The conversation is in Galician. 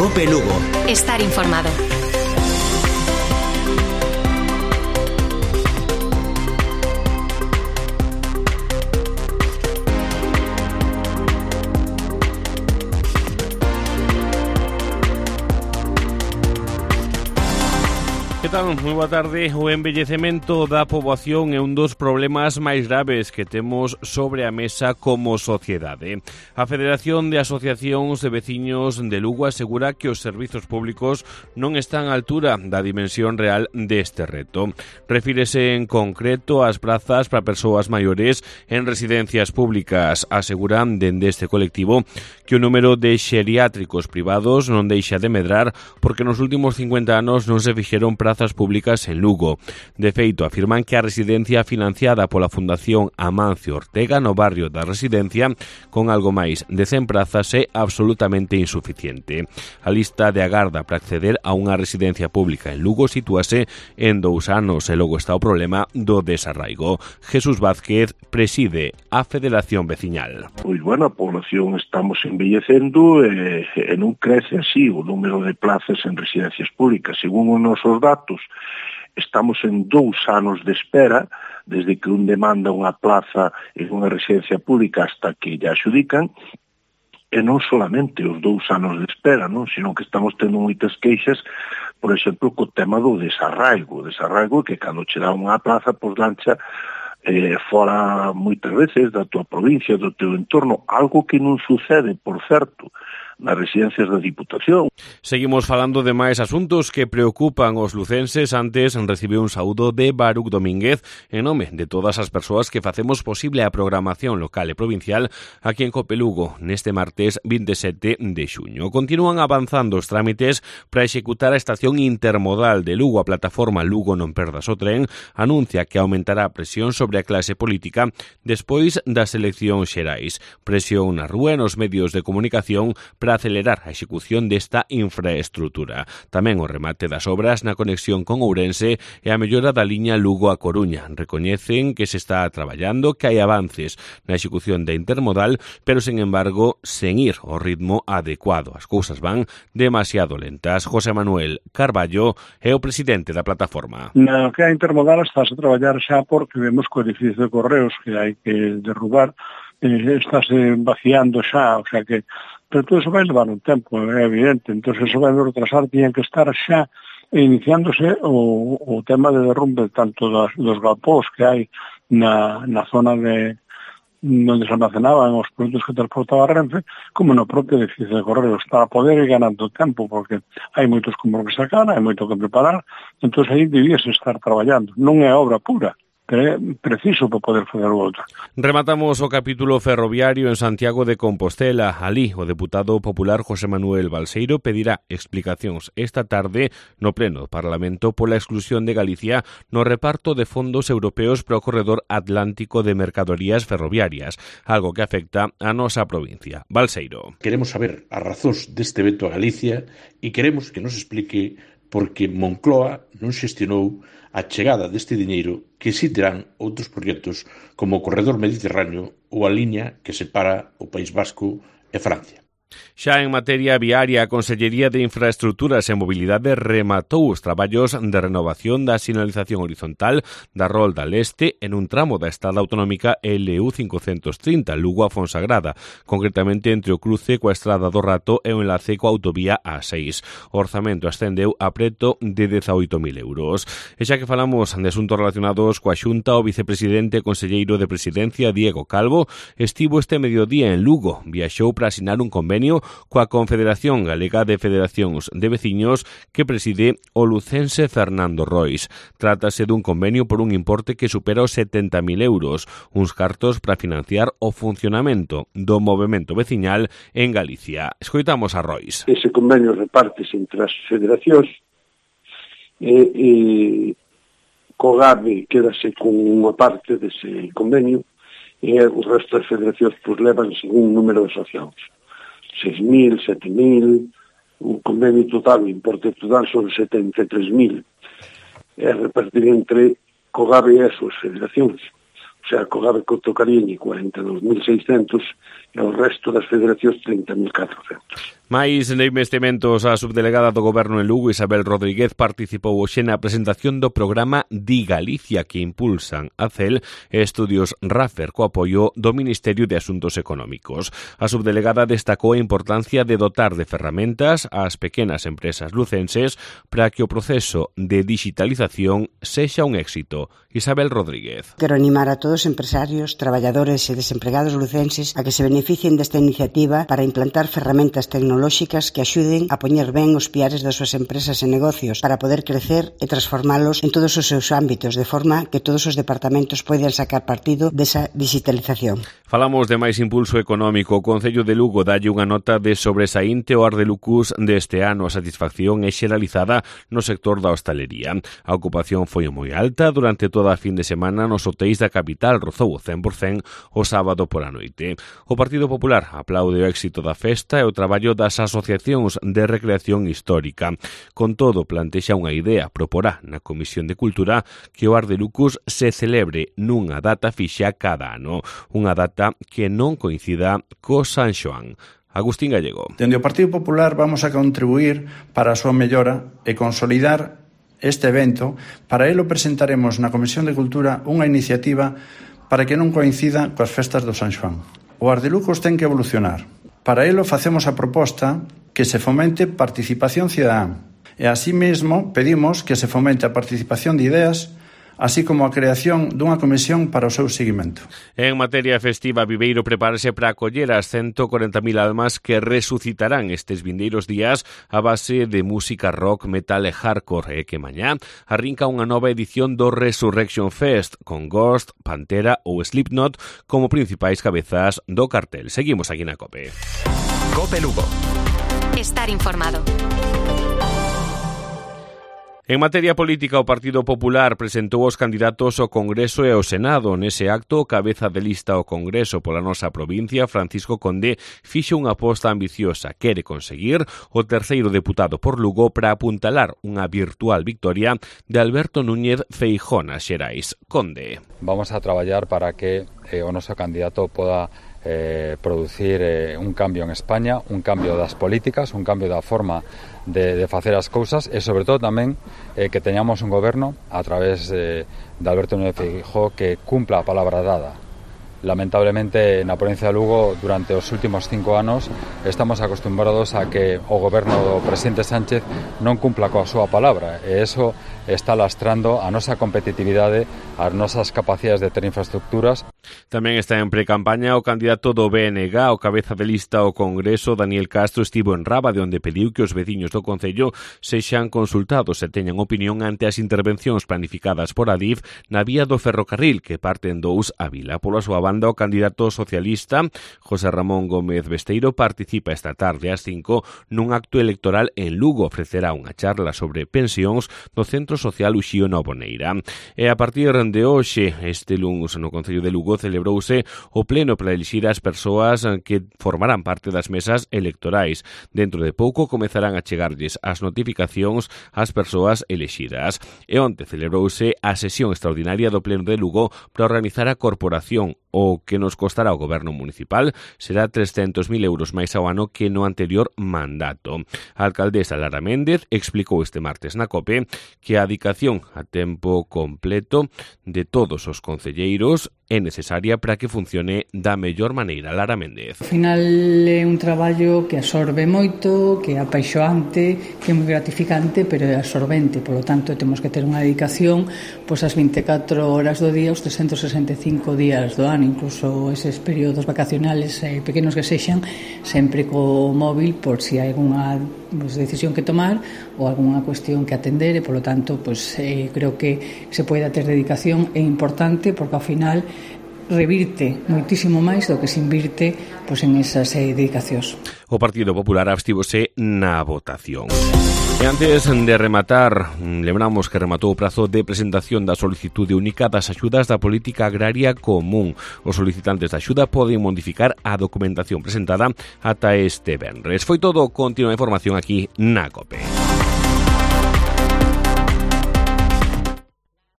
COPE Lugo. Estar informado. Que tal? Moi boa tarde. O envellecemento da poboación é un dos problemas máis graves que temos sobre a mesa como sociedade. A Federación de Asociacións de Veciños de Lugo asegura que os servizos públicos non están á altura da dimensión real deste reto. Refírese en concreto ás prazas para persoas maiores en residencias públicas. Aseguran dende este colectivo que o número de xeriátricos privados non deixa de medrar porque nos últimos 50 anos non se fixeron prazas públicas en Lugo. De feito, afirman que a residencia financiada pola Fundación Amancio Ortega no barrio da Residencia, con algo máis de 100 prazas, é absolutamente insuficiente. A lista de agarda para acceder a unha residencia pública en Lugo sitúase en 2 anos e logo está o problema do desarraigo. Jesús Vázquez preside a Federación Veciñal. Pois, bueno, a población estamos envellecendo e non crece así o número de plazas en residencias públicas. Según os nosos datos, estamos en 2 anos de espera desde que un demanda unha plaza en unha residencia pública hasta que lle adxudican, e non solamente os 2 anos de espera, non? Sino que estamos tendo moitas queixas, por exemplo, co tema do desarraigo. O desarraigo que cando che dá unha plaza, pois lancha fora moitas veces da tua provincia, do teu entorno, algo que non sucede, por certo, nas residencias da Diputación. Seguimos falando de máis asuntos que preocupan os lucenses. Antes recibiu un saúdo de Baruc Domínguez en nome de todas as persoas que facemos posible a programación local e provincial aquí en COPE Lugo neste martes 27 de xuño. Continúan avanzando os trámites para executar a estación intermodal de Lugo. A plataforma Lugo Non Perdas o Tren anuncia que aumentará a presión sobre a clase política despois das eleccións xerais. Presión na rúa e nos medios de comunicación para acelerar a execución desta infraestrutura. Tamén o remate das obras na conexión con Ourense e a mellora da liña Lugo a Coruña. Recoñecen que se está traballando, que hai avances na execución da intermodal, pero, sen embargo, sen ir ao ritmo adecuado. As cousas van demasiado lentas. José Manuel Carballo é o presidente da plataforma. Na que a intermodal estáse a traballar xa porque vemos que o edificio de Correos que hai que derrubar estáse vaciando xa, o sea que pero todo eso vai levar un tempo, é evidente, entón eso vai retrasar, tiñan que estar xa iniciándose o tema de derrumbe tanto dos galpós que hai na zona de onde se almacenaban os produtos que transportaba Renfe, como no propio edificio de Correos, para poder ir ganando tempo, porque hai moitos como que sacar, hai moito que preparar, entón aí debíase estar traballando, non é obra pura, é preciso para poder fazer o outro. Rematamos o capítulo ferroviario en Santiago de Compostela. Alí, o deputado popular José Manuel Balseiro pedirá explicacións esta tarde no pleno do Parlamento pola exclusión de Galicia no reparto de fondos europeos para o corredor atlántico de mercadorías ferroviarias, algo que afecta a nosa provincia. Balseiro. Queremos saber as razóns deste veto a Galicia e queremos que nos explique por que Moncloa non xestionou a chegada deste diñeiro que si terán outros proxectos como o corredor mediterráneo ou a liña que separa o País Vasco e Francia. Xa en materia viaria, a Consellería de Infraestructuras e Mobilidade rematou os traballos de renovación da sinalización horizontal da Rolda Leste en un tramo da estrada autonómica LU 530 Lugo a Fonsagrada, concretamente entre o cruce coa estrada do Rato e o enlace coa autovía A6. O orzamento ascendeu a preto de 18.000 euros. E xa que falamos de asuntos relacionados coa Xunta, o vicepresidente e conselleiro de Presidencia, Diego Calvo, estivo este mediodía en Lugo. Viaxou para asinar un convenio coa Confederación Galega de Federacións de Veciños que preside o lucense Fernando Rois. Trátase dun convenio por un importe que supera os 70.000 euros, uns cartos para financiar o funcionamento do movemento veciñal en Galicia. Escoitamos a Rois. Ese convenio repártese entre as federacións e COGABE quedase con unha parte dese convenio e o resto das federacións levan según un número de asociados. 6.000, 7.000, un convenio total, o importe total son 73.000. É repartir entre COGABE e as súas federacións. O sea, co Gabe tocarían 42.600 e o resto das federacións 30.400. Mais de investimentos, a subdelegada do Goberno en Lugo, Isabel Rodríguez, participou hoxe na presentación do programa Di Galicia que impulsan a CEL e Estudios Raffer co apoio do Ministerio de Asuntos Económicos. A subdelegada destacou a importancia de dotar de ferramentas ás pequenas empresas lucenses para que o proceso de digitalización sexa un éxito. Isabel Rodríguez. Quero animar a todos os empresarios, traballadores e desempregados lucenses a que se beneficien desta iniciativa para implantar ferramentas tecnolóxicas que axuden a poñer ben os piares das súas empresas e negocios para poder crecer e transformalos en todos os seus ámbitos, de forma que todos os departamentos poidan sacar partido desa digitalización. Falamos de máis impulso económico. O Concello de Lugo dalle unha nota de sobresaínte ao Ardelucus deste ano. A satisfacción é xeralizada no sector da hostalería. A ocupación foi moi alta durante toda a fin de semana nos hotéis da capital, rozou o 100% o sábado pola noite. O Partido Popular aplaude o éxito da festa e o traballo das asociacións de recreación histórica. Con todo, plantexa unha idea, proporá na Comisión de Cultura que o Ardelucus se celebre nunha data fixa cada ano, unha data que non coincida co San Xoán. Agustín Gallego. Dende o Partido Popular vamos a contribuir para a súa mellora e consolidar este evento. Para elo presentaremos na Comisión de Cultura unha iniciativa para que non coincida coas festas do San Xoán. O Ardelucus ten que evolucionar. Para elo facemos a proposta que se fomente participación cidadá e así mesmo pedimos que se fomente a participación de ideas así como a creación dunha comisión para o seu seguimento. En materia festiva, Viveiro prepárase para acoller as 140.000 almas que resucitarán estes vindeiros días a base de música rock, metal e hardcore, e que mañá arrinca unha nova edición do Resurrection Fest con Ghost, Pantera ou Slipknot como principais cabezas do cartel. Seguimos aquí na COPE. COPE Lugo. Estar informado. En materia política, o Partido Popular presentou os candidatos ao Congreso e ao Senado. Nese acto, o cabeza de lista ao Congreso pola nosa provincia, Francisco Conde, fixo unha aposta ambiciosa. Quere conseguir o terceiro deputado por Lugo para apuntalar unha virtual victoria de Alberto Núñez Feijóo nas Xerais. Conde. Vamos a traballar para que o noso candidato poda producir un cambio en España, un cambio das políticas, un cambio da forma de facer as cousas e sobre todo tamén que teñamos un goberno a través de Alberto Núñez Feijóo que cumpla a palabra dada. Lamentablemente na provincia de Lugo durante os últimos 5 anos estamos acostumbrados a que o goberno do presidente Sánchez non cumpla coa súa palabra e eso está lastrando a nosa competitividade, as nosas capacidades de ter infraestructuras. Tamén está en precampaña o candidato do BNG, o cabeza de lista ao Congreso, Daniel Castro, estivo en Rábade, onde pediu que os veciños do Concello sexan consultados e teñan opinión ante as intervencións planificadas por Adif na vía do ferrocarril que parten dous a Vila. Pola súa banda, o candidato socialista, José Ramón Gómez Besteiro, participa esta tarde ás 5 nun acto electoral en Lugo. Ofrecerá unha charla sobre pensións no Centro Social Uxío Novoneira. E a partir de hoxe, este luns, no Concello de Lugo, celebrouse o pleno para elixir as persoas que formarán parte das mesas electorais. Dentro de pouco comezarán a chegarlles as notificacións ás persoas elexidas. E onte celebrouse a sesión extraordinaria do pleno de Lugo para organizar a corporación. O que nos costará o goberno municipal será 300.000 euros máis ao ano que no anterior mandato. A alcaldesa Lara Méndez explicou este martes na COPE que a dedicación a tempo completo de todos os concelleiros é necesaria para que funcione da mellor maneira. Lara Méndez. Ao final é un traballo que absorbe moito, que é apaixoante, que é moi gratificante, pero é absorbente. Por lo tanto, temos que ter unha dedicación pois as 24 horas do día, os 365 días do ano, incluso eses períodos vacacionales pequenos que sexan, sempre co móvil por si hai algunha decisión que tomar ou algunha cuestión que atender e, por lo tanto, creo que se poida ter dedicación é importante porque ao final revirte moitísimo máis do que se invirte en esas dedicacións. O Partido Popular abstívose na votación. E antes de rematar, lembramos que rematou o prazo de presentación da solicitude única das axudas da política agraria común. Os solicitantes da axuda poden modificar a documentación presentada ata este venres. Foi todo, continua a información aquí na COPE.